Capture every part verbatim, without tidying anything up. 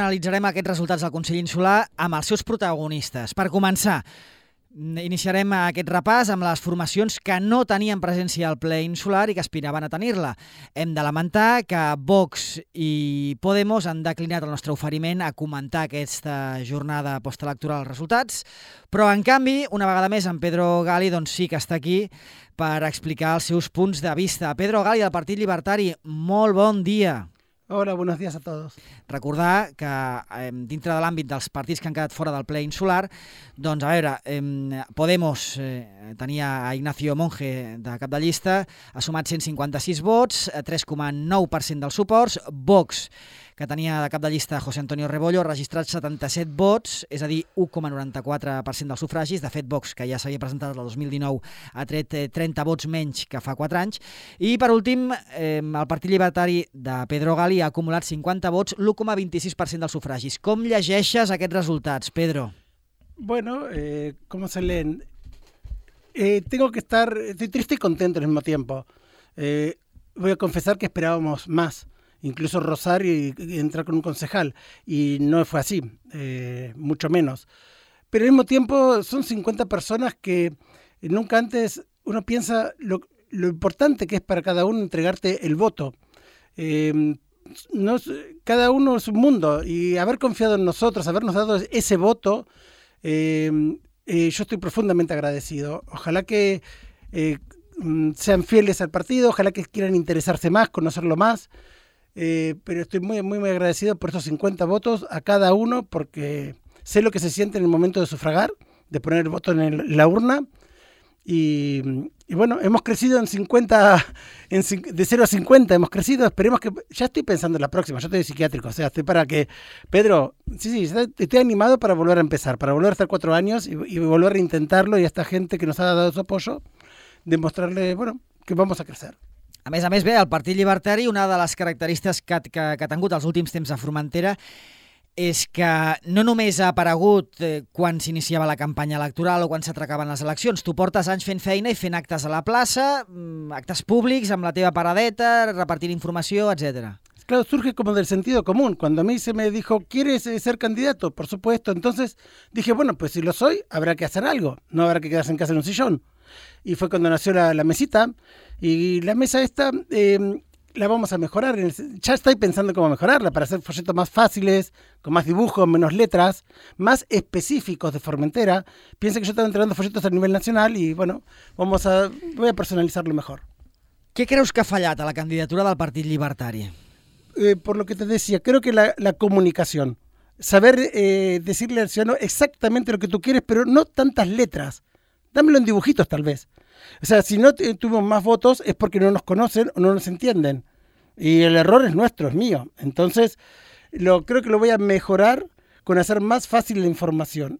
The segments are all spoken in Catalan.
analitzarem aquests resultats del Consell Insular amb els seus protagonistes. Per començar, iniciarem aquest repàs amb les formacions que no tenien presència al ple insular i que aspiraven a tenir-la. Hem de lamentar que Vox i Podemos han declinat el nostre oferiment a comentar aquesta jornada postelectoral, els resultats, però en canvi, una vegada més, en Pedro Gali doncs, sí que està aquí per explicar els seus punts de vista. Pedro Gali, del Partit Llibertari, molt bon dia. Hola, buenos días a todos. Recordar que eh, dintre de l'àmbit dels partits que han quedat fora del ple insular, doncs a veure, eh, Podemos eh, tenia a Ignacio Monge de cap de llista, ha sumat cent cinquanta-sis vots, tres coma nou per cent dels suports. Vox, que tenia de cap de llista José Antonio Rebollo, ha registrat setanta-set vots, és a dir, u coma noranta-quatre per cent dels sufragis. De fet, Vox, que ja s'havia presentat el dos mil dinou, ha tret trenta vots menys que fa quatre anys. I, per últim, eh, el Partit Llibertari de Pedro Gali ha acumulat cinquanta vots, l'u coma vint-i-sis per cent dels sufragis. Com llegeixes aquests resultats, Pedro? Bueno, eh, ¿cómo se leen? Eh, tengo que estar, estoy triste y contento al mismo tiempo. Eh, voy a confesar que esperábamos más, incluso rozar y, y entrar con un concejal, y no fue así, eh, mucho menos. Pero al mismo tiempo son cincuenta personas que nunca antes uno piensa lo, lo importante que es para cada uno entregarte el voto. Eh, no, cada uno es un mundo, y haber confiado en nosotros, habernos dado ese voto, eh, eh, yo estoy profundamente agradecido. Ojalá que eh, sean fieles al partido, ojalá que quieran interesarse más, conocerlo más, eh, pero estoy muy, muy, muy agradecido por esos cincuenta votos a cada uno, porque sé lo que se siente en el momento de sufragar, de poner el voto en el, la urna. Y, y bueno, hemos crecido en cincuenta, en, de cero a cincuenta hemos crecido, esperemos que, ya estoy pensando en la próxima, yo estoy psiquiátrico, o sea, estoy para que, Pedro, sí, sí, estoy animado para volver a empezar, para volver a estar cuatro años y, y volver a intentarlo, y a esta gente que nos ha dado su apoyo, demostrarle, bueno, que vamos a crecer. A més a més, bé, el Partit Llibertari, una de les característiques que, que, que ha tingut els últims temps a Formentera és que no només ha aparegut eh, quan s'iniciava la campanya electoral o quan s'atracaven les eleccions. Tu portes anys fent feina i fent actes a la plaça, actes públics, amb la teva paradeta, repartint informació, etcétera. Claro, surge como del sentido común. Cuando a mí se me dijo, ¿quieres ser candidato? Por supuesto. Entonces dije, bueno, pues si lo soy, habrá que hacer algo. No habrá que quedarse en casa en un sillón. Y fue cuando nació la, la mesita. Y la mesa esta... Eh, la vamos a mejorar. Ya estoy pensando cómo mejorarla para hacer folletos más fáciles, con más dibujos, menos letras, más específicos de Formentera. Piensa que yo estoy entregando folletos a nivel nacional y bueno, vamos a, voy a personalizarlo mejor. Què creus que ha fallat a la candidatura del Partit Llibertari? Eh, por lo que te decía, creo que la, la comunicación. Saber eh, decirle al ciudadano exactamente lo que tú quieres, pero no tantas letras. Dámelo en dibujitos tal vez. O sea, si no tuvimos más votos es porque no nos conocen o no nos entienden. Y el error es nuestro, es mío. Entonces, lo, creo que lo voy a mejorar con hacer más fácil la información.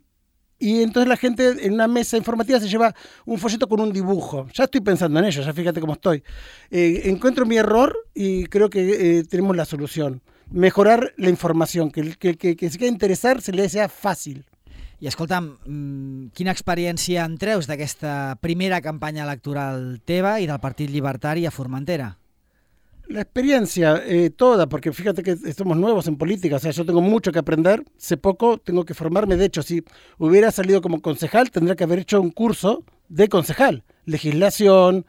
Y entonces la gente en una mesa informativa se lleva un folleto con un dibujo. Ya estoy pensando en ello, ya fíjate cómo estoy. Eh, encuentro mi error y creo que eh, tenemos la solución. Mejorar la información, que el que, que, que se quiera interesar se le sea fácil. I escolta'm, quina experiència en treus d'aquesta primera campanya electoral teva i del Partit Llibertari a Formentera? La experiencia eh, toda, porque fíjate que somos nuevos en política, o sea, yo tengo mucho que aprender, sé poco, tengo que formarme. De hecho, si hubiera salido como concejal, tendría que haber hecho un curso de concejal, legislación,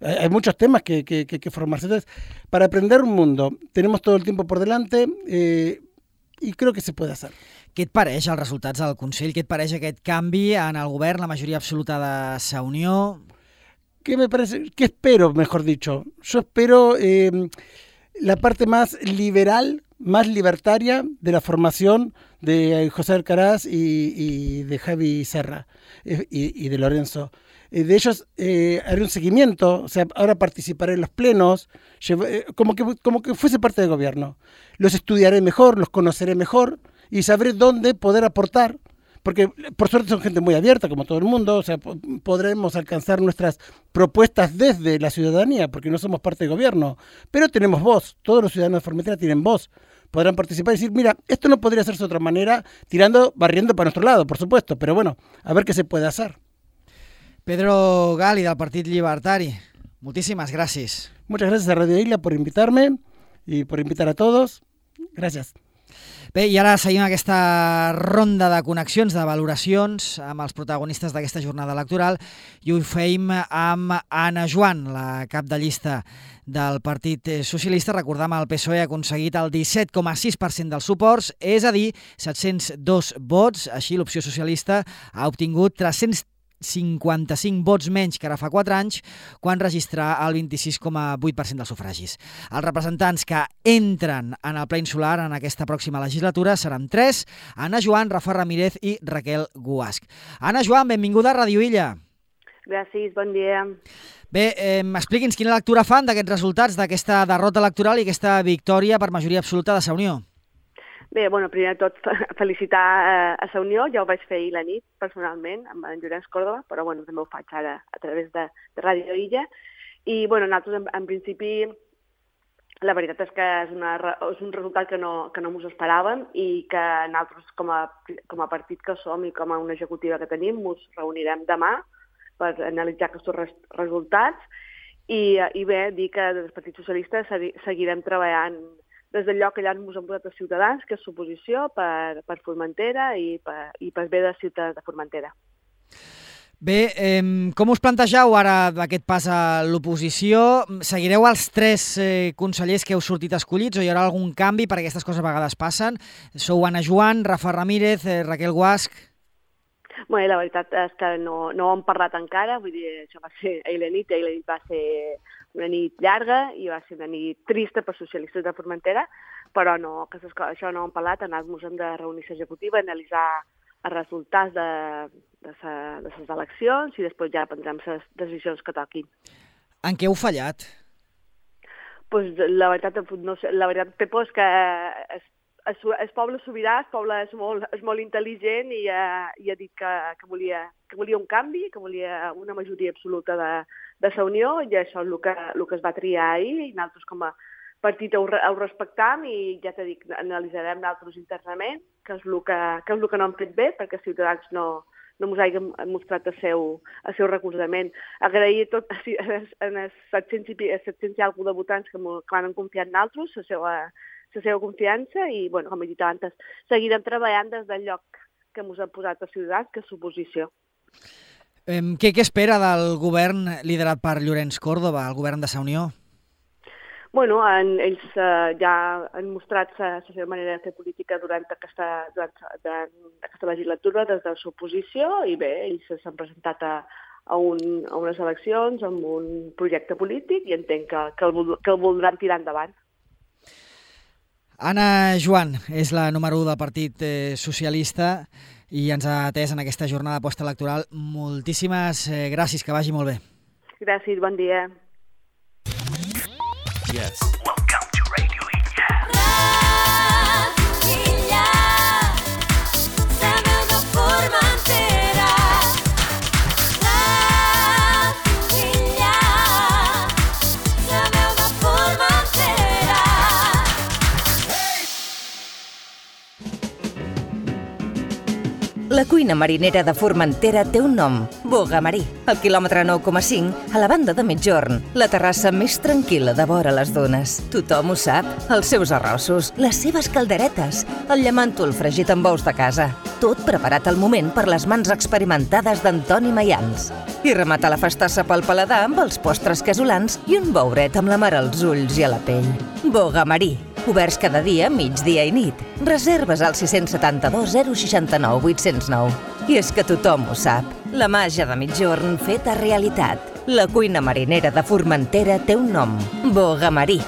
eh, hay muchos temas que, que, que, que formarse. Entonces, para aprender un mundo, tenemos todo el tiempo por delante eh, y creo que se puede hacer. Què et pareix els resultats del Consell? Què et pareix aquest canvi en el govern, la majoria absoluta de Sa Unió? ¿Qué me parece? ¿Qué espero, mejor dicho? Yo espero eh, la parte más liberal, más libertaria de la formación de José Alcaraz y, y de Javi Serra eh, y, y de Lorenzo. Eh, de ellos eh, haré un seguimiento, o sea, ahora participaré en los plenos, llevo, eh, como, que, como que fuese parte del gobierno. Los estudiaré mejor, los conoceré mejor y sabré dónde poder aportar, porque por suerte son gente muy abierta, como todo el mundo, o sea, podremos alcanzar nuestras propuestas desde la ciudadanía, porque no somos parte del gobierno, pero tenemos voz, todos los ciudadanos de Formentera tienen voz, podrán participar y decir, mira, esto no podría hacerse de otra manera, tirando, barriendo para nuestro lado, por supuesto, pero bueno, a ver qué se puede hacer. Pedro Gali, del Partit Llibertari, moltíssimes gràcies. Muchas gracias a Radio Isla por invitarme y por invitar a todos. Gracias. Bé, i ara seguim aquesta ronda de connexions, de valoracions amb els protagonistes d'aquesta jornada electoral i ho feim amb Anna Joan, la cap de llista del Partit Socialista. Recordam, el P S O E ha aconseguit el disset coma sis per cent dels suports, és a dir, set-cents dos vots. Així, l'opció socialista ha obtingut tres-cents cinquanta-cinc vots menys que ara fa quatre anys, quan registrà el vint-i-sis coma vuit per cent dels sufragis. Els representants que entren en el ple insular en aquesta pròxima legislatura seran tres: Anna Joan, Rafa Ramírez i Raquel Guasch. Anna Joan, benvinguda a Ràdio Illa. Gràcies, bon dia. Bé, eh, expliqui'ns quina lectura fan d'aquests resultats, d'aquesta derrota electoral i aquesta victòria per majoria absoluta de Sa Unió. Bé, bueno, primer de tot felicitar eh, a Sa Unió, ja ho vaig fer ahir la nit personalment amb en Llorenç Córdoba, però bueno, també ho faig ara a través de, de Ràdio Illa. I bueno, nosaltres en, en principi la veritat és que és, una, és un resultat que no, que no ens esperàvem i que nosaltres com a, com a partit que som i com a una executiva que tenim ens reunirem demà per analitzar aquests res, resultats i, i bé, dir que des del Partit Socialista seguirem treballant des del lloc allà ens han votat els ciutadans, que és l'oposició, per, per Formentera i per, i per bé de ciutadans de Formentera. Bé, eh, com us plantegeu ara aquest pas a l'oposició? Seguireu els tres eh, consellers que heu sortit escollits o hi haurà algun canvi, perquè aquestes coses a vegades passen? Sou Anna Joan, Rafa Ramírez, eh, Raquel Guasch. Bé, la veritat és que no, no ho hem parlat encara, vull dir, això va ser ahir la nit, ahir la nit va ser una nit llarga i va ser una nit trista per socialistes de Formentera, però no, que això no ho hem parlat, nosaltres hem de reunir l'executiva, analitzar els resultats de, de, sa, de les eleccions i després ja prendrem les decisions que toquin. En què heu fallat? Pues, la veritat, no sé, la veritat, Pepo, és que és, és, és poble sobirà, el poble és molt, és molt intel·ligent i, uh, i ha dit que, que, volia, que volia un canvi, que volia una majoria absoluta de, de Sa Unió, i això és el que, el que es va triar ahir, i nosaltres com a partit ho, ho respectam i ja t'he dit, analitzarem nosaltres internament, que és el que, que, és el que no hem fet bé, perquè Ciutadans no, no ens hagin mostrat el seu, el seu recolzament. Agrair tot en els set-cents i alguna de votants que, que han confiat en nosaltres, la seva, la seva confiança, i, bueno, com he dit abans, seguirem treballant des del lloc que ens han posat els Ciutadans, que és l'oposició. Eh, què, què espera del govern liderat per Llorenç Córdoba, el govern de Sa Unió? Bueno, en, ells uh, ja han mostrat la seva manera de fer política durant aquesta, durant, durant aquesta legislatura des de l'oposició i bé, ells s'han presentat a, a, un, a unes eleccions amb un projecte polític i entenc que, que, el, que el voldran tirar endavant. Anna Joan és la número u del Partit eh, Socialista i ens ha atès en aquesta jornada postelectoral. Moltíssimes eh, gràcies, que vagi molt bé. Gràcies, bon dia. Yes. Welcome to Radio Illa. Radio Illa, la veu de Formentera. Radio Illa, la veu de Formentera. La cuina marinera de Formentera té un nom, Boga Marí. Al quilòmetre nou coma cinc, a la banda de Migjorn, la terrassa més tranquil·la de vora les dunes. Tothom ho sap, els seus arrossos, les seves calderetes, el llamàntol fregit amb ous de casa. Tot preparat al moment per les mans experimentades d'Antoni Mayans. I remata la festassa pel paladar amb els postres casolans i un bouret amb la mar als ulls i a la pell. Boga Marí. Oberts cada dia, migdia i nit. Reserves al sis set dos zero sis nou vuit zero nou. I és que tothom ho sap. La màgia de Migjorn feta realitat. La cuina marinera de Formentera té un nom. Boga Marí.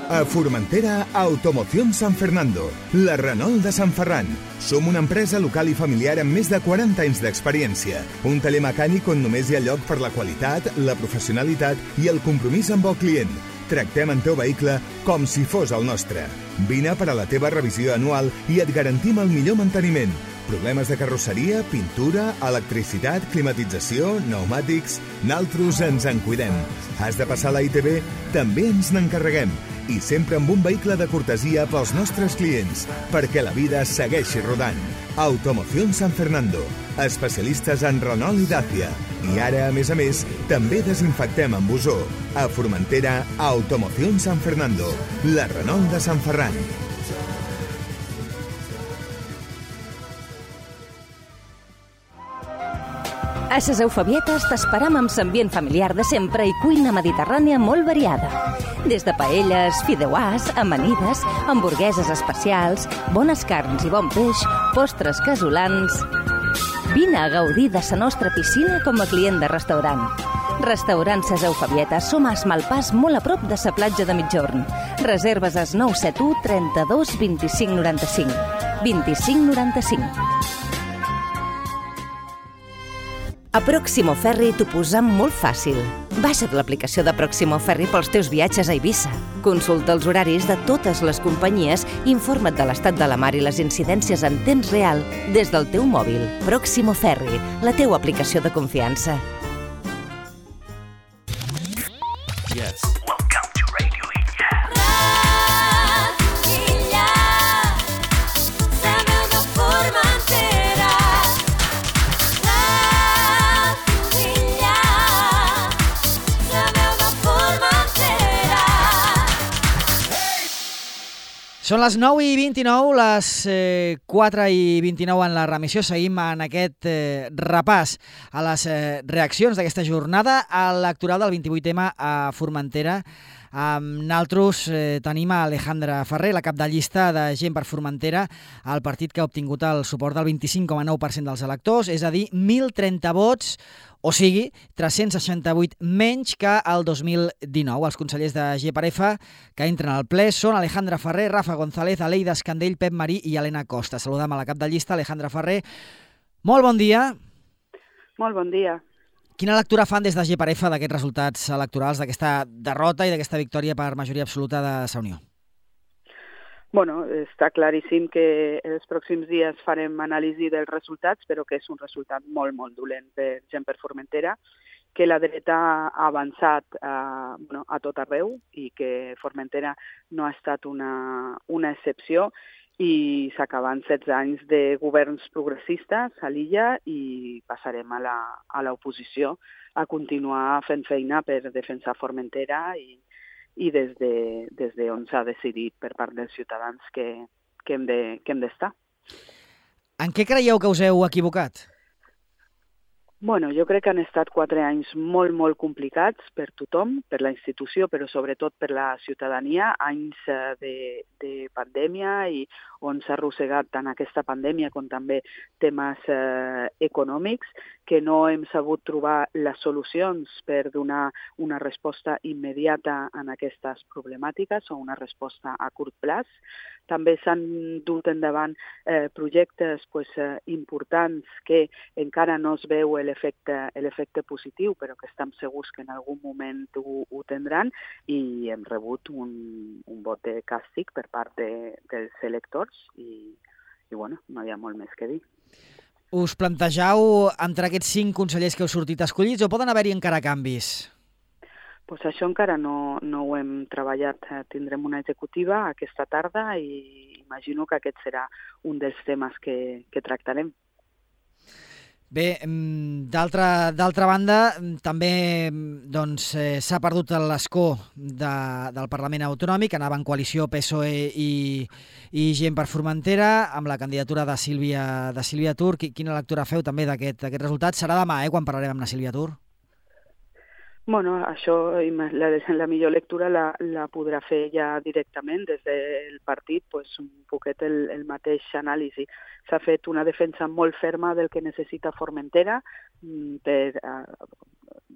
A Formentera, Automoción San Fernando, la Renault de Sant Ferran. Som una empresa local i familiar amb més de quaranta anys d'experiència. Un taller mecànic on només hi ha lloc per la qualitat, la professionalitat i el compromís amb el client. Tractem el teu vehicle com si fos el nostre. Vine per a la teva revisió anual i et garantim el millor manteniment. Problemes de carrosseria, pintura, electricitat, climatització, pneumàtics... Naltros ens en cuidem. Has de passar a la I T B? També ens n'encarreguem. I sempre amb un vehicle de cortesia pels nostres clients, perquè la vida segueixi rodant. Automoción San Fernando, especialistes en Renault i Dacia. I ara, a més a més, també desinfectem amb ozó. A Formentera, Automoción San Fernando, la Renault de Sant Ferran. A ses Eufebietes t'esperam amb l'ambient familiar de sempre i cuina mediterrània molt variada. Des de paelles, fideuàs, amanides, hamburgueses especials, bones carns i bon peix, postres casolans... Vine a gaudir de la nostra piscina com a client de restaurant. Restaurant Ses Eufebietes, som a Malpàs, molt a prop de la platja de Migjorn. Reserves al nou set u trenta-dos vint-i-cinc noranta-cinc. vint-i-cinc noranta-cinc. A Proximo Ferri t'ho posam molt fàcil. Baixa't l'aplicació de Proximo Ferri pels teus viatges a Eivissa. Consulta els horaris de totes les companyies i informa't de l'estat de la mar i les incidències en temps real des del teu mòbil. Proximo Ferri, la teua aplicació de confiança. Yes. Welcome to Radio Illa. Radio Illa, la veu de Formentera. Radio Illa, la veu de Formentera. Són les nou i vint-i-nou, les eh, quatre i vint-i-nou en la remissió. Seguim en aquest eh, repàs a les eh, reaccions d'aquesta jornada electoral del vint-i-vuit ema a Formentera. Amb naltros eh, tenim a Alejandra Ferrer, la cap de llista de Gent per Formentera, el partit que ha obtingut el suport del vint-i-cinc coma nou per cent dels electors, és a dir, mil trenta vots, o sigui, tres-cents seixanta-vuit menys que el dos mil dinou. Els consellers de G per F que entren al ple són Alejandra Ferrer, Rafa González, Aleida Escandell, Pep Marí i Helena Costa. Saludem a la cap de llista, Alejandra Ferrer. Molt bon dia. Molt bon dia. Quina lectura fan des de G per F d'aquests resultats electorals, d'aquesta derrota i d'aquesta victòria per majoria absoluta de Sa Unió? Bueno, està claríssim que els pròxims dies farem anàlisi dels resultats, però que és un resultat molt, molt dolent per Gent per Formentera, que la dreta ha avançat a, bueno, a tot arreu i que Formentera no ha estat una, una excepció i s'acaben setze anys de governs progressistes a l'illa i passarem a la, a l'oposició a continuar fent feina per defensar Formentera i i des de, des de on s'ha decidit per part dels ciutadans que, que hem de, que hem d'estar. En què creieu que us heu equivocat? Bueno, jo crec que han estat quatre anys molt, molt complicats per tothom, per la institució, però sobretot per la ciutadania, anys de, de pandèmia i on s'ha arrossegat tant aquesta pandèmia com també temes eh, econòmics, que no hem sabut trobar les solucions per donar una resposta immediata en aquestes problemàtiques o una resposta a curt plaç. També s'han dut endavant eh, projectes pues, eh, importants que encara no es veu l'efecte l'efecte positiu, però que estem segurs que en algun moment ho, ho tindran i hem rebut un, un vot de càstig per part de, dels electors i, i bueno, no hi ha molt més que dir. Us plantegeu entre aquests cinc consellers que heu sortit escollits o poden haver-hi encara canvis? Pues això encara no, no ho hem treballat. Tindrem una executiva aquesta tarda i imagino que aquest serà un dels temes que, que tractarem. Bé, d'altra d'altra banda, també doncs, eh, s'ha perdut l'escó de, del Parlament Autonòmic, anava en coalició P S O E i, i Gent per Formentera, amb la candidatura de Sílvia, de Sílvia Tur. Quina lectura feu també d'aquest resultat? Serà demà, eh, quan parlarem amb la Sílvia Tur? Bueno, això, la, la millor lectura la, la podrà fer ja directament des del partit, pues, un poquet el, el mateix anàlisi. S'ha fet una defensa molt ferma del que necessita Formentera per,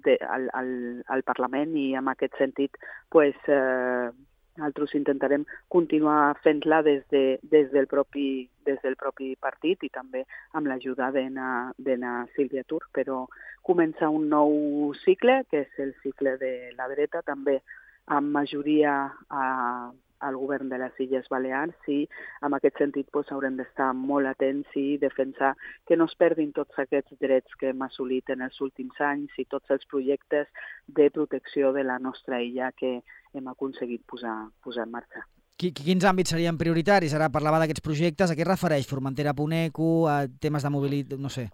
de, al, al, al Parlament i en aquest sentit pues, eh, nosaltres intentarem continuar fent-la des, de, des, del propi, des del propi partit i també amb l'ajuda de na Sílvia Tur, però comença un nou cicle, que és el cicle de la dreta, també amb majoria a, al govern de les Illes Balears i en aquest sentit pues, haurem d'estar molt atents i defensar que no es perdin tots aquests drets que hem assolit en els últims anys i tots els projectes de protecció de la nostra illa que hem aconseguit posar, posar en marxa. Quins àmbits serien prioritaris? Ara parlava d'aquests projectes. A què es refereix? Formentera punt eco, a temes de mobilitat, no sé.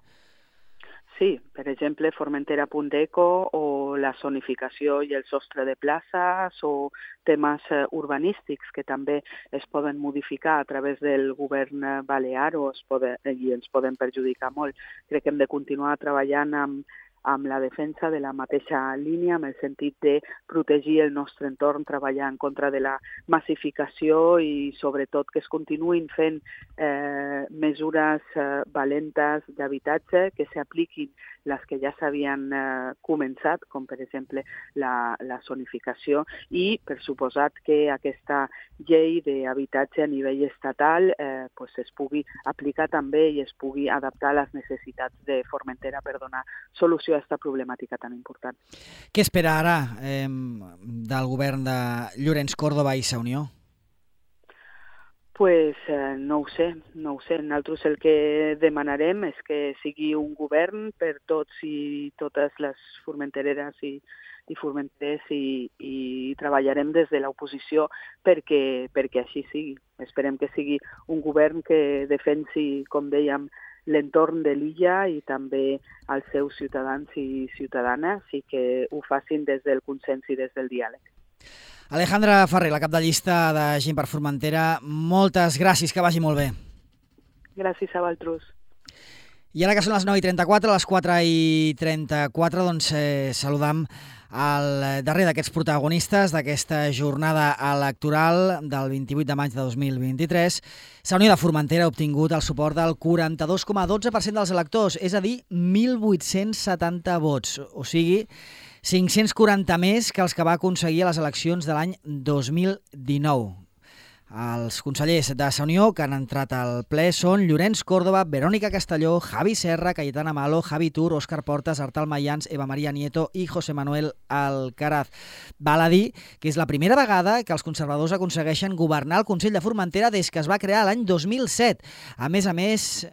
Sí, per exemple, Formentera punt eco o la zonificació i el sostre de places o temes eh, urbanístics que també es poden modificar a través del govern eh, balear o es poden, i ens poden perjudicar molt. Crec que hem de continuar treballant amb, amb la defensa de la mateixa línia, en el sentit de protegir el nostre entorn, treballar en contra de la massificació i sobretot que es continuïn fent eh, mesures eh, valentes d'habitatge, que s'apliquin les que ja s'havien eh, començat, com per exemple la, la zonificació, i per suposat que aquesta llei d'habitatge a nivell estatal eh, pues es pugui aplicar també i es pugui adaptar a les necessitats de Formentera per donar solució a aquesta problemàtica tan important. Què espera ara eh, del govern de Llorenç Córdoba i Sa Unió? Pues eh, no ho sé, no ho sé. Nosaltres el que demanarem és que sigui un govern per tots i totes les formentereres i, i formenters i, i treballarem des de l'oposició perquè, perquè així sigui. Esperem que sigui un govern que defensi, com dèiem, l'entorn de l'illa i també els seus ciutadans i ciutadanes i que ho facin des del consens i des del diàleg. Alejandra Ferrer, la cap de llista de Gent per Formentera, moltes gràcies, que vagi molt bé. Gràcies a vosaltres. I ara que són les nou i trenta-quatre, a les quatre i trenta-quatre, doncs eh, saludam el darrer d'aquests protagonistes d'aquesta jornada electoral del vint-i-vuit de maig de dos mil vint-i-tres. Sa Unió de Formentera ha obtingut el suport del quaranta-dos coma dotze per cent dels electors, és a dir, mil vuit-cents setanta vots, o sigui, cinc-cents quaranta més que els que va aconseguir a les eleccions de l'any dos mil dinou. Els consellers de Sa Unió que han entrat al ple són Llorenç Córdoba, Verònica Castelló, Javi Serra, Cayetana Malo, Javi Tur, Òscar Portas, Artal Mayans, Eva Maria Nieto i José Manuel Alcaraz. Val a dir que és la primera vegada que els conservadors aconsegueixen governar el Consell de Formentera des que es va crear l'any dos mil set. A més a més,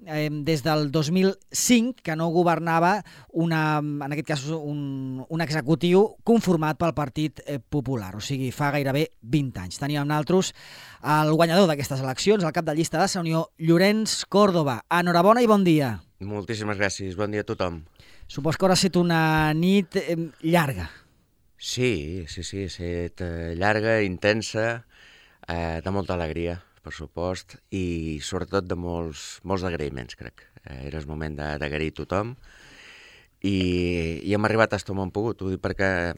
eh, des del dos mil cinc, que no governava una, en aquest cas un, un executiu conformat pel Partit Popular, o sigui, fa gairebé vint anys. Teníem nosaltres el guanyador d'aquestes eleccions, el cap de llista de Sa Unió, Llorenç Córdoba. Enhorabona i bon dia. Moltíssimes gràcies, bon dia a tothom. Supos que haurà estat una nit eh, llarga. Sí, sí, sí, ha estat eh, llarga, intensa, eh, de molta alegria, per supost, i sobretot de molts, molts agraïments, crec. Eh, era el moment d'agrair a tothom i, i hem arribat fins on hem pogut. Ho dic perquè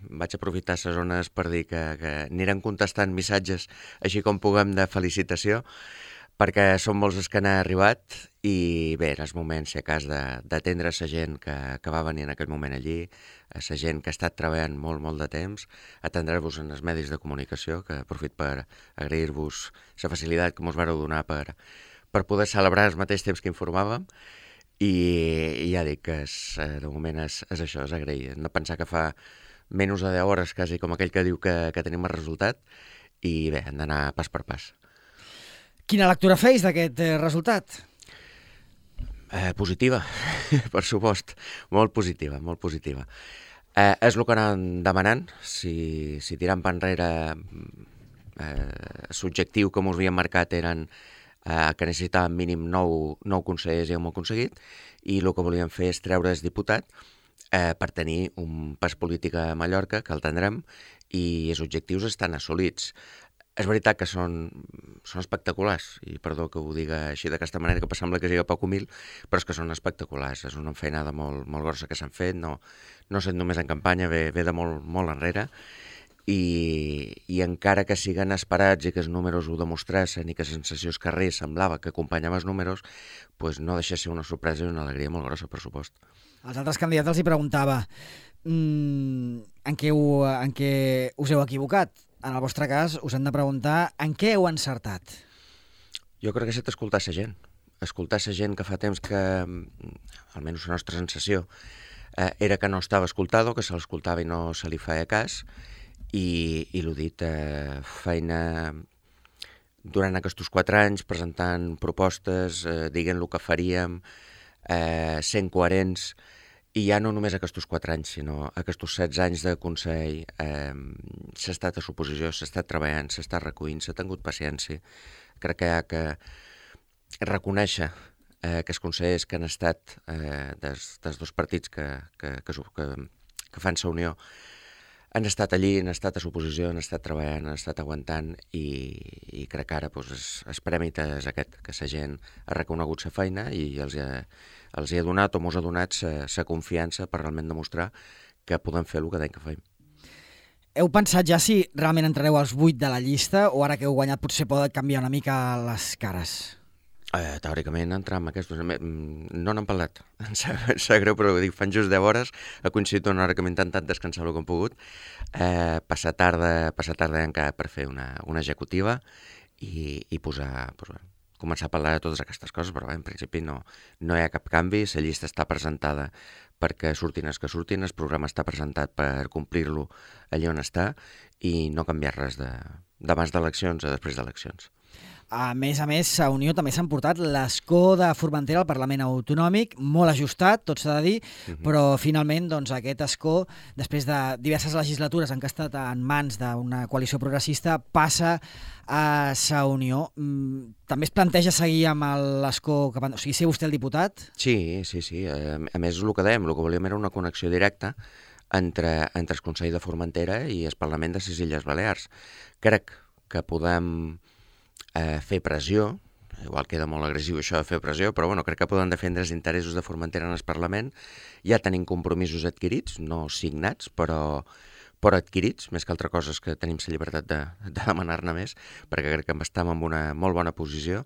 vaig aprofitar les zones per dir que, que anirem contestant missatges així com puguem de felicitació, perquè són molts els que han arribat i bé, era el moment, si a cas, d'atendre la gent que, que va venir en aquell moment allí, a la gent que ha estat treballant molt, molt de temps, atendre-vos en els medis de comunicació, que aprofit per agrair-vos la facilitat que ens vareu donar per, per poder celebrar al mateix temps que informàvem, i, i ja dic que és, de moment és, és això, és agrair. No pensar que fa menys de deu hores, quasi com aquell que diu que, que tenim el resultat, i bé, hem d'anar pas per pas. Quina lectura feis d'aquest eh, resultat? Eh, positiva, per supost. Molt positiva, molt positiva. Eh, és el que anàvem demanant. Si, si tirant per enrere eh, l'objectiu que ens havíem marcat eren eh, que necessitàvem mínim nou, nou consellers i hem aconseguit, i el que volíem fer és treure el diputat eh, per tenir un pas polític a Mallorca, que el tindrem, i els objectius estan assolits. És veritat que són, són espectaculars, i perdó que ho diga així d'aquesta manera, que sembla que sigui poc humil, però és que són espectaculars. És una feinada molt, molt grossa que s'han fet, no, no sent només en campanya, ve, ve de molt, molt enrere, i, i encara que siguen esperats i que els números ho demostrassin i que la sensació és carrer semblava que acompanyava els números, pues no deixa de ser una sorpresa i una alegria molt grossa, per supost. Als altres candidats els hi preguntava mmm, en, què ho, en què us heu equivocat. En el vostre cas, us hem de preguntar en què heu encertat. Jo crec que s'ha d'escoltar la gent. Escoltar la gent que fa temps que, almenys la nostra sensació, eh, era que no estava escoltada, que se l'escoltava i no se li feia cas, i, i l'ho dit, eh, feina durant aquests quatre anys, presentant propostes, eh, dient el que faríem, eh, sent coherents, i ja no només aquests quatre anys, sinó aquests setze anys de Consell, eh, s'ha estat a suposició, s'ha estat treballant, s'ha estat recollint, s'ha tingut paciència. Crec que hi ha que reconèixer eh, que els consellers que han estat eh, des, des dos partits que, que, que, que, que fan sa unió han estat allí, han estat a suposició, han estat treballant, han estat aguantant i, i crec que ara doncs, es, es prèmit és aquest, que la gent ha reconegut sa feina i els hi ha, els hi ha donat o mos ha donat sa confiança per realment demostrar que podem fer el que deim que fem. Heu pensat ja si realment entrareu als vuit de la llista o ara que heu guanyat potser pot canviar una mica les cares? Eh, teòricament entrar amb aquests... No n'han parlat, em sap, em sap greu, però dic, fan just deu hores, ha coincidit una hora que m'he intentat descansar el que hem pogut, eh, passar tarda, passar tarda encara per fer una, una executiva i, i posar, pues, bueno, començar a parlar de totes aquestes coses, però bé, en principi no, no hi ha cap canvi, la llista està presentada perquè surtin els que surtin, el programa està presentat per complir-lo allà on està i no canviar res de, d'abans d'eleccions a després d'eleccions. A més a més, a Unió també s'han portat l'escó de Formentera al Parlament Autonòmic, molt ajustat, tot s'ha de dir, uh-huh. però finalment doncs, aquest escó, després de diverses legislatures en què ha estat en mans d'una coalició progressista, passa a sa Unió. També es planteja seguir amb l'escó, cap... o sigui, ser vostè el diputat? Sí, sí, sí. A més, el que dèiem, el que volíem era una connexió directa entre, entre el Consell de Formentera i el Parlament de les Illes Balears. Crec que podem eh, fer pressió, igual queda molt agressiu això de fer pressió, però bueno, crec que podem defendre els interessos de Formentera en el Parlament. Ja tenim compromisos adquirits, no signats, però, però adquirits, més que altra cosa és que tenim la llibertat de, de demanar-ne més, perquè crec que estem en una molt bona posició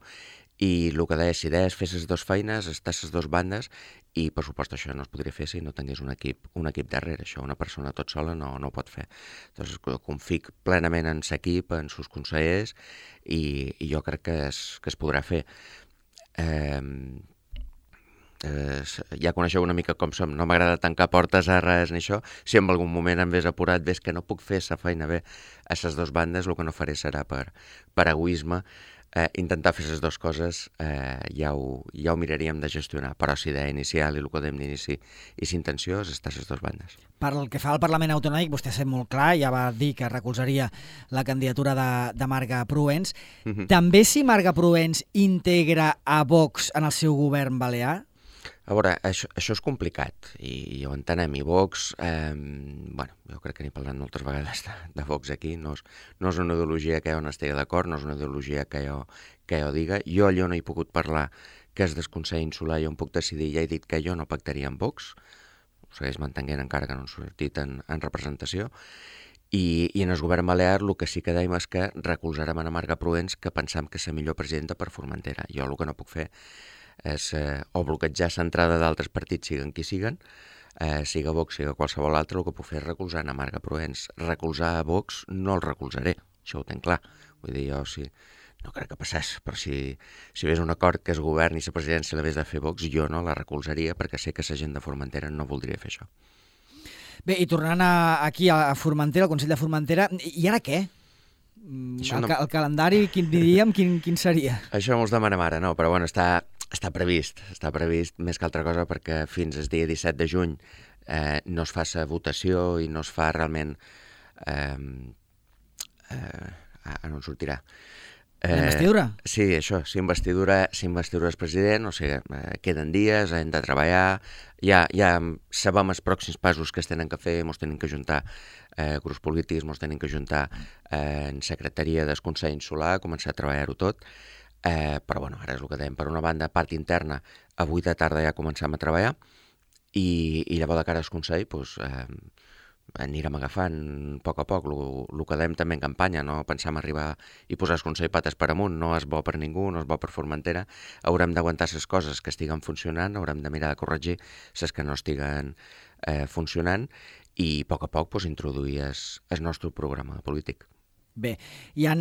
i el que deia, si deies fer les dues feines, estar les dues bandes, i per supost això no es podria fer si no tingués un equip, un equip darrere, això una persona tot sola no, no ho pot fer. Llavors confic plenament en l'equip, en sus consellers, i, i jo crec que es, que es podrà fer. Eh, eh, ja coneixeu una mica com som, no m'agrada tancar portes a res ni això, si en algun moment em ves apurat, ves que no puc fer la feina bé a les dues bandes, el que no faré serà per, per egoisme. Eh, intentar fer les dues coses eh, ja, ho, ja ho miraríem de gestionar, però si d'idea inicial i el que dèiem d'inici i s'intenció és estar a les dues bandes. Per el que fa al Parlament Autonòmic, vostè ha set molt clar, ja va dir que recolzaria la candidatura de, de Marga Proens. Uh-huh. També si Marga Proens integra a Vox en el seu govern balear? A veure, això, això és complicat i ho entenem, i Vox, eh, bueno, jo crec que n'he parlat moltes vegades de, de Vox aquí, no és, no és una ideologia que jo no estigui d'acord, no és una ideologia que jo, que jo diga. Jo allò no he pogut parlar, que és del Consell Insular, jo em puc decidir, ja he dit que jo no pactaria amb Vox, ho segueix mantenint encara que no han sortit en, en representació, i, i en el govern balear el que sí que dèiem és que recolzarem a Marga Proens, que pensam que és la millor presidenta per Formentera. Jo el que no puc fer és eh, o bloquejar l'entrada d'altres partits, siguen qui siguen, eh, siga Vox, siga qualsevol altre, el que puc fer és recolzar a Marga Proens. Recolzar a Vox no el recolzaré, això ho tenc clar. Vull dir, jo sí, no crec que passés, però si, si ves un acord que es govern i la presidència l'hagués de fer Vox, jo no la recolzaria perquè sé que la gent de Formentera no voldria fer això. Bé, i tornant a, aquí a Formentera, al Consell de Formentera, i ara què? El, no... el calendari, quin diríem, quin, quin seria? Això mos demanem ara, no, però bueno, està, està previst, està previst més que altra cosa perquè fins al dia disset de juny eh, no es fa la votació i no es fa realment... Eh, eh, ah, no en sortirà. Eh, investidura? Sí, això, si investidura, si investidura el president, o sigui, eh, queden dies, hem de treballar, ja, ja sabem els pròxims passos que es tenen que fer, ens tenen que juntar eh, grups polítics, ens tenen que juntar eh, en secretaria del Consell Insular, començar a treballar-ho tot, eh, però bueno, ara és el que dèiem, per una banda, part interna, avui de tarda ja començam a treballar, i, i llavors de cara al Consell, doncs, eh, anirem agafant a poc a poc el que dèiem també en campanya, no pensam arribar i posar el Consell pates per amunt, no és bo per ningú, no és bo per Formentera, haurem d'aguantar les coses que estiguen funcionant, haurem de mirar de corregir les que no estiguen eh, funcionant i a poc a poc pues, introduir el nostre programa polític. Bé, hi ha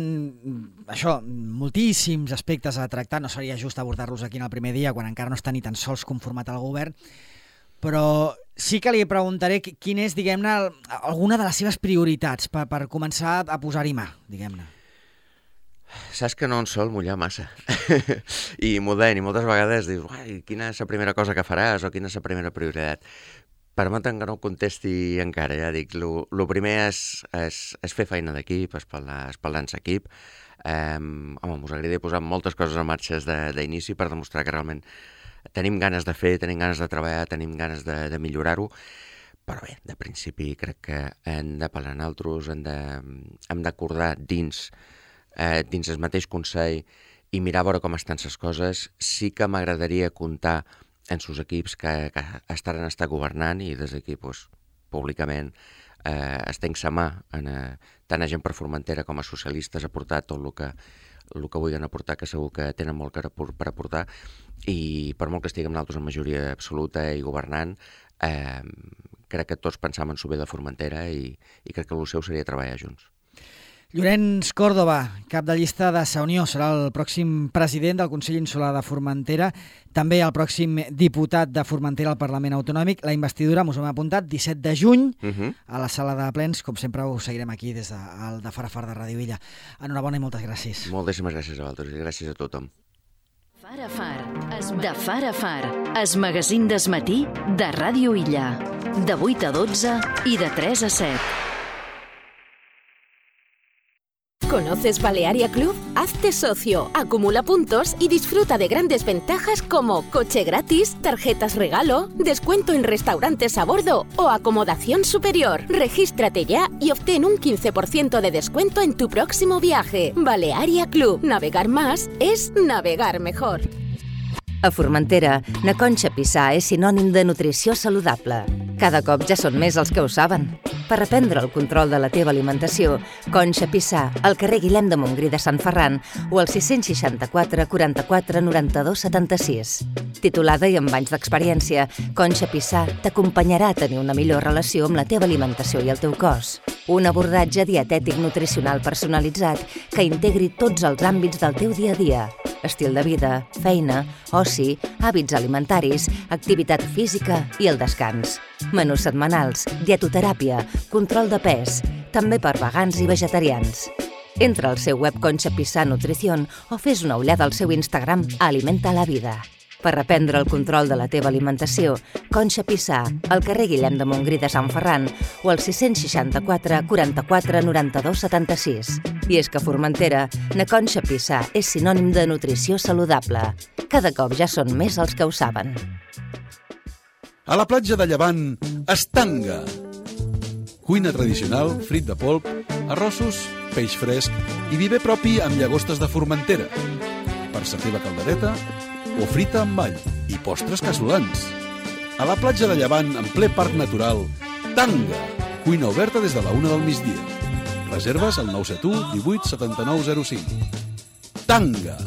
això, moltíssims aspectes a tractar, no seria just abordar-los aquí en el primer dia quan encara no està ni tan sols conformat el govern, però sí que li preguntaré quina és, diguem-ne, alguna de les seves prioritats per, per començar a posar-hi mà, diguem-ne. Saps que no en sol mullar massa. I m'ho deien, i moltes vegades dius, uai, quina és la primera cosa que faràs o quina és la primera prioritat. Permetem que no contesti encara, ja dic, el primer és, és, és fer feina d'equip, espaldar, espaldar en l'equip. Eh, home, us agradaria posar moltes coses en marxa d'inici per demostrar que realment tenim ganes de fer, tenim ganes de treballar, tenim ganes de, de millorar-ho, però bé, de principi crec que hem de parlar nosaltres, hem de, hem d'acordar dins, eh, dins el mateix Consell i mirar a veure com estan les coses. Sí que m'agradaria comptar en sus equips que, que estaran estar governant i des d'aquí, pues, públicament, eh, estenc sa mà en, eh, tant a gent per Formentera com a socialistes a portar tot el que el que vulguin aportar, que segur que tenen molt que per aportar, i per molt que estiguem nosaltres en majoria absoluta i governant, eh, crec que tots pensam en el bé de Formentera i, i crec que el seu seria treballar junts. Llorenç Córdoba, cap de llista de Sa Unió, serà el pròxim president del Consell Insular de Formentera, també el pròxim diputat de Formentera al Parlament Autonòmic. La investidura, m'ho hem apuntat, disset de juny, uh-huh. a la sala de plens. Com sempre, ho seguirem aquí des de, de Far a Far de Ràdio Illa. Enhorabona i moltes gràcies. Moltíssimes gràcies a vosaltres i gràcies a tothom. Far a Far, de Far a Far, es magazín des matí de Ràdio Illa, de vuit a dotze i de tres a set. ¿Conoces Balearia Club? Hazte socio, acumula puntos y disfruta de grandes ventajas como coche gratis, tarjetas regalo, descuento en restaurantes a bordo o acomodación superior. Regístrate ya y obtén un quince por ciento de descuento en tu próximo viaje. Balearia Club. Navegar más es navegar mejor. A Formentera, na Conxa Pissar és sinònim de nutrició saludable. Cada cop ja són més els que ho saben. Per reprendre el control de la teva alimentació, Conxa Pissar, al carrer Guillem de Montgrí de Sant Ferran o al sis seixanta-quatre quaranta-quatre noranta-dos setanta-sis. Titulada i amb anys d'experiència, Conxa Pissar t'acompanyarà a tenir una millor relació amb la teva alimentació i el teu cos. Un abordatge dietètic nutricional personalitzat que integri tots els àmbits del teu dia a dia. Estil de vida, feina, oci, hàbits alimentaris, activitat física i el descans. Menús setmanals, dietoteràpia, control de pes, també per vegans i vegetarians. Entra al seu web Conxa Pissar Nutrición o fes una ullada al seu Instagram Alimenta la Vida. Per reprendre el control de la teva alimentació, Conxa Pissar, al carrer Guillem de Montgrí de Sant Ferran o al sis seixanta-quatre quaranta-quatre noranta-dos setanta-sis. I és que a Formentera, na Conxa Pissar és sinònim de nutrició saludable. Cada cop ja són més els que ho saben. A la platja de Llevant, Estanga. Cuina tradicional, frit de polp, arrossos, peix fresc i vi bé propi amb llagostes de Formentera. Per sa teva caldereta o frita amb all i postres casolans. A la platja de Llevant, en ple parc natural, Tanga. Cuina oberta des de la una del migdia. Reserves al nou set u divuit setanta-nou zero cinc. Tanga.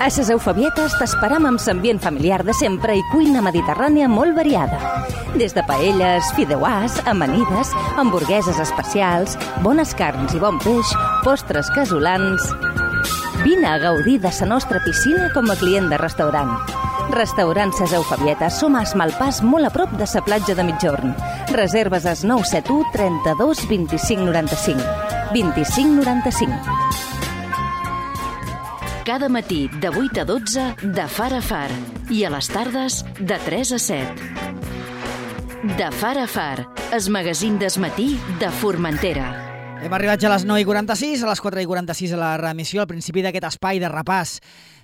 A ses Eufabietes t'esperam amb l'ambient familiar de sempre i cuina mediterrània molt variada. Des de paelles, fideuàs, amanides, hamburgueses especials, bones carns i bon peix, postres casolans... Vine a gaudir de la nostra piscina com a client de restaurant. Restaurant Ses Eufabietes, som a Esmalpàs, molt a prop de la platja de Migjorn. Reserves al nou set u trenta-dos vint-i-cinc noranta-cinc. vint-i-cinc noranta-cinc. Cada matí de vuit a dotze de Far a Far i a les tardes de tres a set. De Far a Far, es magazín des matí de Formentera. Hem arribat ja a les nou i quaranta-sis, a les quatre i quaranta-sis a la reemissió, al principi d'aquest espai de repàs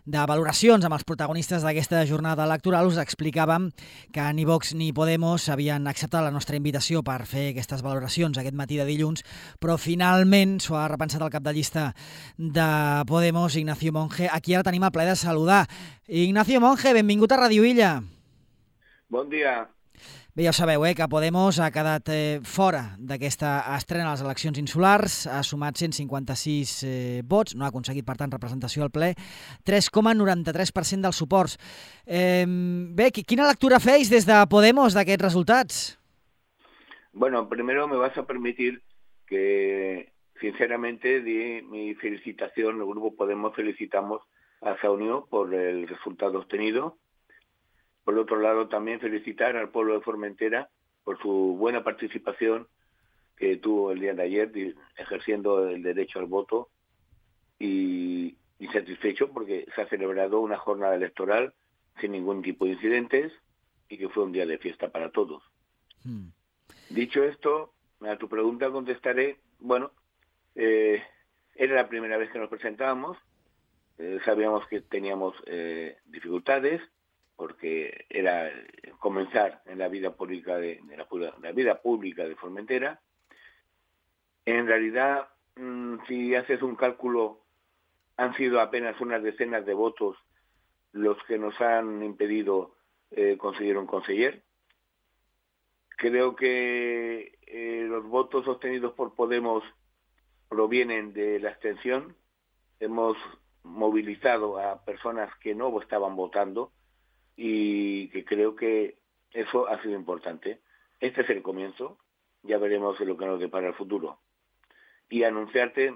de valoracions amb els protagonistes d'aquesta jornada electoral. Us explicàvem que ni Vox ni Podemos havien acceptat la nostra invitació per fer aquestes valoracions aquest matí de dilluns, però finalment s'ho ha repensat el cap de llista de Podemos, Ignacio Monge, a qui ara tenim el plaer de saludar. Ignacio Monge, benvingut a Ràdio Illa. Bon dia. Bé, ja ho sabeu, eh, que Podemos ha quedat eh, fora d'aquesta estrena a les eleccions insulars, ha sumat cent cinquanta-sis eh, vots, no ha aconseguit, per tant, representació al ple, tres coma noranta-tres per cent dels suports. Eh, bé, quina lectura feis des de Podemos d'aquests resultats? Bueno, primero me vas a permitir que, sinceramente, di mi felicitación, el Grupo Podemos felicitamos a Sa Unió por el resultado obtenido. Por otro lado, también felicitar al pueblo de Formentera por su buena participación que tuvo el día de ayer, ejerciendo el derecho al voto, y, y satisfecho porque se ha celebrado una jornada electoral sin ningún tipo de incidentes y que fue un día de fiesta para todos. Hmm. Dicho esto, a tu pregunta contestaré, bueno, eh, era la primera vez que nos presentábamos, eh, sabíamos que teníamos eh, dificultades, porque era comenzar en la vida pública de, de la, la vida pública de Formentera. En realidad, mmm, si haces un cálculo, han sido apenas unas decenas de votos los que nos han impedido eh, conseguir un conseller. Creo que eh, los votos obtenidos por Podemos provienen de la abstención. Hemos movilizado a personas que no estaban votando y que creo que eso ha sido importante. Este es el comienzo, ya veremos lo que nos depara el futuro. Y anunciarte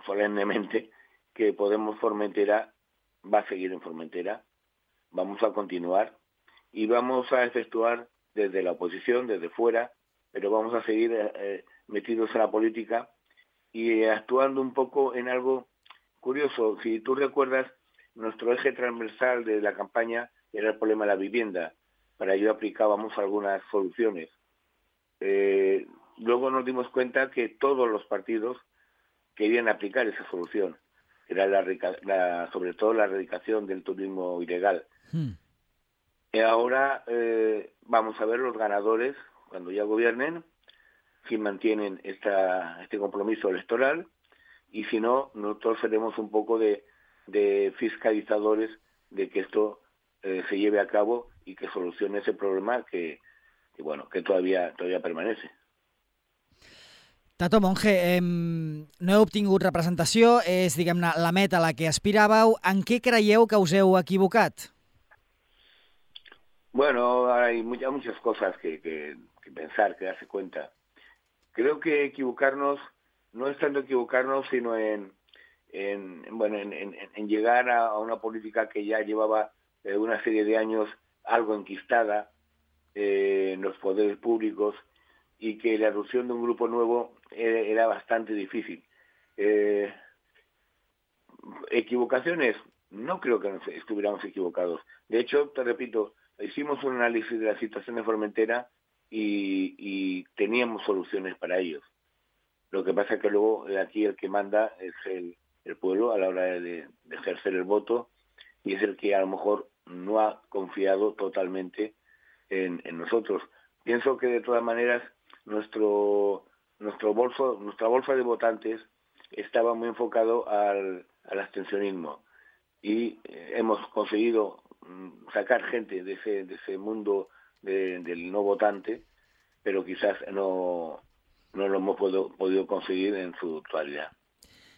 solemnemente que Podemos Formentera va a seguir en Formentera, vamos a continuar y vamos a efectuar desde la oposición, desde fuera, pero vamos a seguir eh, metidos en la política y actuando un poco en algo curioso. Si tú recuerdas, nuestro eje transversal de la campaña era el problema de la vivienda. Para ello aplicábamos algunas soluciones. Eh, luego nos dimos cuenta que todos los partidos querían aplicar esa solución. Era la, la, sobre todo la erradicación del turismo ilegal. Hmm. Y ahora eh, vamos a ver los ganadores, cuando ya gobiernen, si mantienen esta, este compromiso electoral, y si no, nosotros seremos un poco de, de fiscalizadores de que esto eh, se lleve a cabo y que solucione ese problema que, que bueno, que todavía, todavía permanece. Tato Monge, eh, no heu obtingut representació, és, diguem-ne, la meta a la que aspiràveu. En què creieu que us heu equivocat? Bueno, hay muchas, muchas cosas que, que, que pensar, que darse cuenta. Creo que equivocarnos no es tanto equivocarnos, sino en, en, bueno, en, en, en llegar a, a una política que ya llevaba eh, una serie de años algo enquistada eh, en los poderes públicos, y que la erupción de un grupo nuevo era, era bastante difícil. Eh, ¿Equivocaciones? No creo que nos estuviéramos equivocados. De hecho, te repito, hicimos un análisis de la situación de Formentera y, y teníamos soluciones para ellos. Lo que pasa es que luego aquí el que manda es el, el pueblo a la hora de, de ejercer el voto, y es el que a lo mejor no ha confiado totalmente en, en nosotros. Pienso que de todas maneras nuestro nuestro bolso nuestra bolsa de votantes estaba muy enfocado al, al abstencionismo, y eh, hemos conseguido mm, sacar gente de ese de ese mundo de, del no votante, pero quizás no no lo hemos podido, podido conseguir en su totalidad.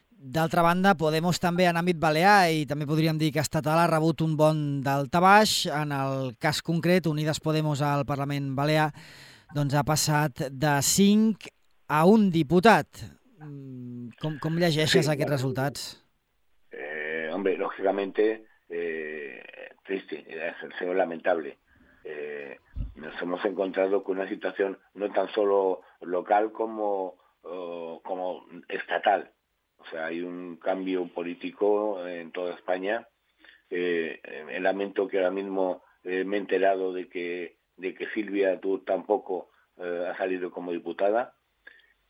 D'altra banda, Podemos també en àmbit balear, i també podríem dir que estatal, ha rebut un bon daltabaix. En el cas concret, Unides Podemos al Parlament Balear doncs ha passat de cinc a un diputat. Com, com llegeixes sí, aquests bueno, resultats? Eh, hombre, lógicamente, eh, triste, es lamentable. Eh, nos hemos encontrado con una situación no tan solo local como, uh, como estatal. O sea, hay un cambio político en toda España. Eh, eh, lamento que ahora mismo eh, me he enterado de que de que Silvia tú tampoco eh, ha salido como diputada,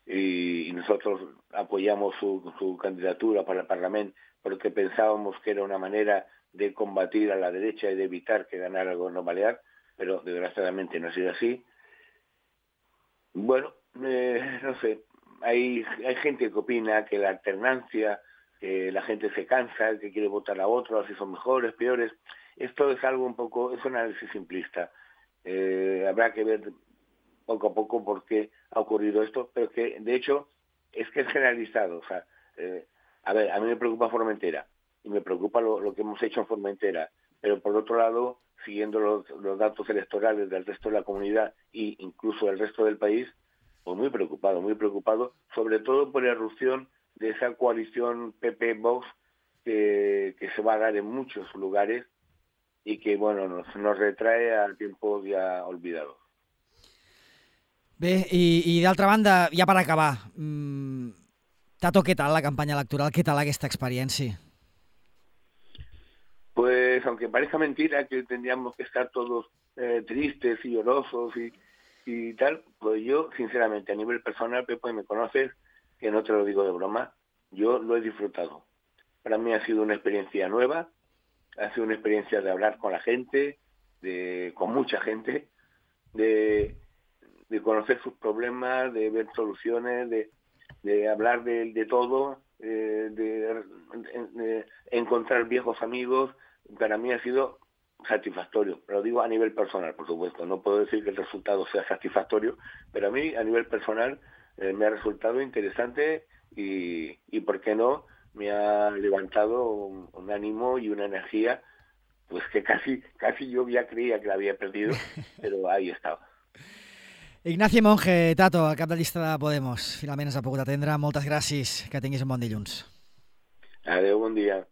y, y nosotros apoyamos su, su candidatura para el Parlamento porque pensábamos que era una manera de combatir a la derecha y de evitar que ganara el gobierno balear, pero desgraciadamente no ha sido así. Bueno, eh, no sé, hay, hay gente que opina que la alternancia, que la gente se cansa, que quiere votar a otros, si son mejores, peores. Esto es algo un poco, es un análisis simplista. Eh, habrá que ver poco a poco por qué ha ocurrido esto, pero que de hecho es que es generalizado. O sea, eh, a ver, a mí me preocupa Formentera y me preocupa lo, lo que hemos hecho en Formentera, pero por otro lado, siguiendo los, los datos electorales del resto de la comunidad e incluso del resto del país, pues muy preocupado, muy preocupado, sobre todo por la erupción de esa coalición P P-Vox que, que se va a dar en muchos lugares y que, bueno, nos, nos retrae al tiempo ya olvidado. Bé, i, i d'altra banda, ja per acabar, mmm, Tato, què tal la campanya electoral? Què tal aquesta experiència? Pues, aunque parezca mentira que tendríamos que estar todos eh, tristes y llorosos y, y tal, pues yo, sinceramente, a nivel personal, Pepe, me conoces, que no te lo digo de broma, yo lo he disfrutado. para mí ha sido una experiencia nueva, ha sido una experiencia de hablar con la gente, de, con mucha gente, de, de conocer sus problemas, de ver soluciones, de, de hablar de, de todo, eh, de, de, de encontrar viejos amigos. Para mí ha sido satisfactorio, lo digo a nivel personal, por supuesto, no puedo decir que el resultado sea satisfactorio, pero a mí a nivel personal eh, me ha resultado interesante y, y por qué no, me ha levantado un, un ánimo y una energía pues que casi casi yo ya creía que la había perdido, però ahí estava. Ignacio Monge, Tato, el cap de llista de Podemos, finalment ens ha pogut atendre. Moltes gràcies, que tinguis un bon dilluns. Adéu, bon dia.